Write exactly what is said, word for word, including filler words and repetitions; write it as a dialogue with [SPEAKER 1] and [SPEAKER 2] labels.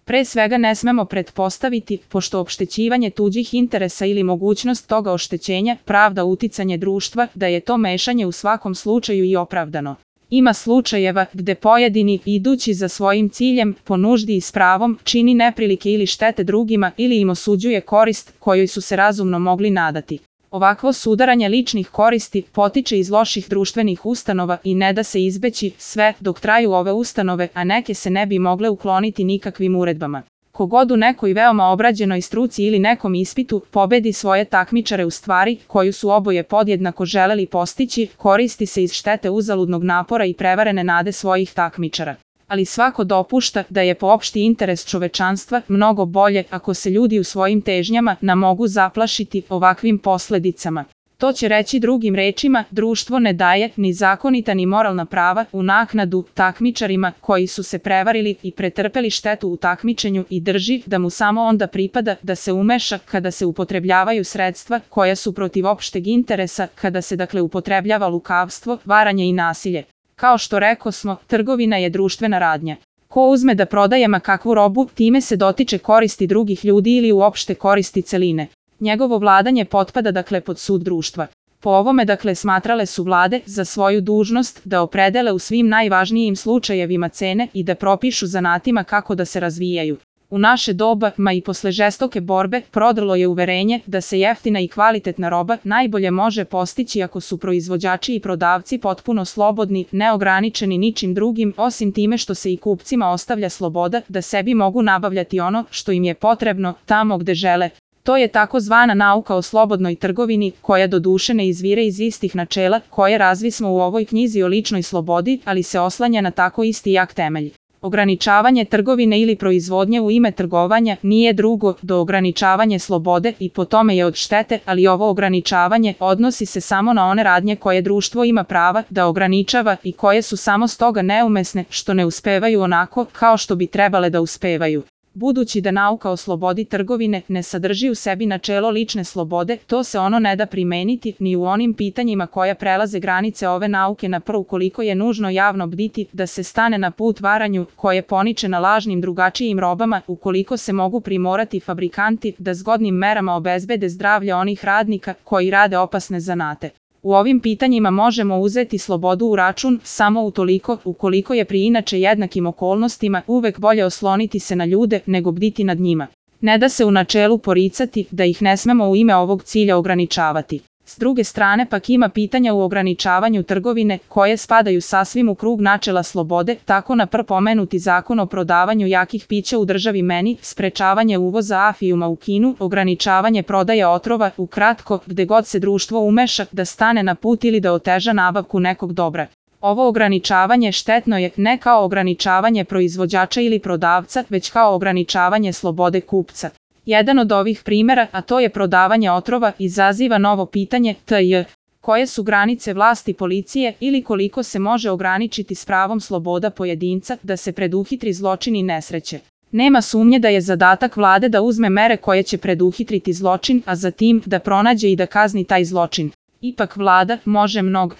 [SPEAKER 1] Pre svega ne smemo pretpostaviti, pošto opštećivanje tuđih interesa ili mogućnost toga oštećenja pravda uticanje društva, da je to mešanje u svakom slučaju i opravdano. Ima slučajeva gde pojedini, idući za svojim ciljem, po nuždi i s pravom, čini neprilike ili štete drugima ili im osuđuje korist kojoj su se razumno mogli nadati. Ovakvo sudaranje ličnih koristi potiče iz loših društvenih ustanova i ne da se izbeći sve dok traju ove ustanove, a neke se ne bi mogle ukloniti nikakvim uredbama. Kogod u nekoj veoma obrađenoj struci ili nekom ispitu pobedi svoje takmičare u stvari koju su oboje podjednako želeli postići, koristi se iz štete uzaludnog napora i prevarene nade svojih takmičara. Ali svako dopušta da je po opšti interes čovečanstva mnogo bolje ako se ljudi u svojim težnjama na mogu zaplašiti ovakvim posledicama. To će reći drugim rečima, društvo ne daje ni zakonita ni moralna prava u naknadu takmičarima koji su se prevarili i pretrpeli štetu u takmičenju i drži da mu samo onda pripada da se umeša kada se upotrebljavaju sredstva koja su protiv opšteg interesa, kada se dakle upotrebljava lukavstvo, varanje i nasilje. Kao što rekosmo, trgovina je društvena radnja. Ko uzme da prodaje ma kakvu robu, time se dotiče koristi drugih ljudi ili uopšte koristi celine. Njegovo vladanje potpada dakle pod sud društva. Po ovome dakle smatrale su vlade za svoju dužnost da opredele u svim najvažnijim slučajevima cene i da propišu zanatima kako da se razvijaju. U naše doba, ma i posle žestoke borbe, prodrlo je uverenje da se jeftina i kvalitetna roba najbolje može postići ako su proizvođači i prodavci potpuno slobodni, neograničeni ničim drugim, osim time što se i kupcima ostavlja sloboda da sebi mogu nabavljati ono što im je potrebno, tamo gde žele. To je takozvana nauka o slobodnoj trgovini, koja doduše ne izvire iz istih načela koje razvismo u ovoj knjizi o ličnoj slobodi, ali se oslanja na tako isti jak temelj. Ograničavanje trgovine ili proizvodnje u ime trgovanja nije drugo do ograničavanje slobode i po tome je od štete, ali ovo ograničavanje odnosi se samo na one radnje koje društvo ima prava da ograničava i koje su samo stoga neumesne što ne uspevaju onako kao što bi trebale da uspevaju. Budući da nauka o slobodi trgovine ne sadrži u sebi načelo lične slobode, to se ono ne da primeniti ni u onim pitanjima koja prelaze granice ove nauke na prvu koliko je nužno javno bditi da se stane na put varanju koje poniče na lažnim drugačijim robama, ukoliko se mogu primorati fabrikanti da zgodnim merama obezbede zdravlje onih radnika koji rade opasne zanate. U ovim pitanjima možemo uzeti slobodu u račun samo utoliko ukoliko je pri inače jednakim okolnostima uvek bolje osloniti se na ljude nego bditi nad njima. Ne da se u načelu poricati da ih ne smemo u ime ovog cilja ograničavati. S druge strane pak ima pitanja u ograničavanju trgovine koje spadaju sasvim u krug načela slobode, tako na prv pomenuti zakon o prodavanju jakih pića u državi meni, sprečavanje uvoza afijuma u Kinu, ograničavanje prodaje otrova, ukratko, gde god se društvo umeša da stane na put ili da oteža nabavku nekog dobra. Ovo ograničavanje štetno je ne kao ograničavanje proizvođača ili prodavca, već kao ograničavanje slobode kupca. Jedan od ovih primera, a to je prodavanje otrova, izaziva novo pitanje tj. Koje su granice vlasti policije ili koliko se može ograničiti s pravom sloboda pojedinca da se preduhitri zločin i nesreće. Nema sumnje da je zadatak vlade da uzme mere koje će preduhitriti zločin, a zatim da pronađe i da kazni taj zločin. Ipak vlada može mnogo.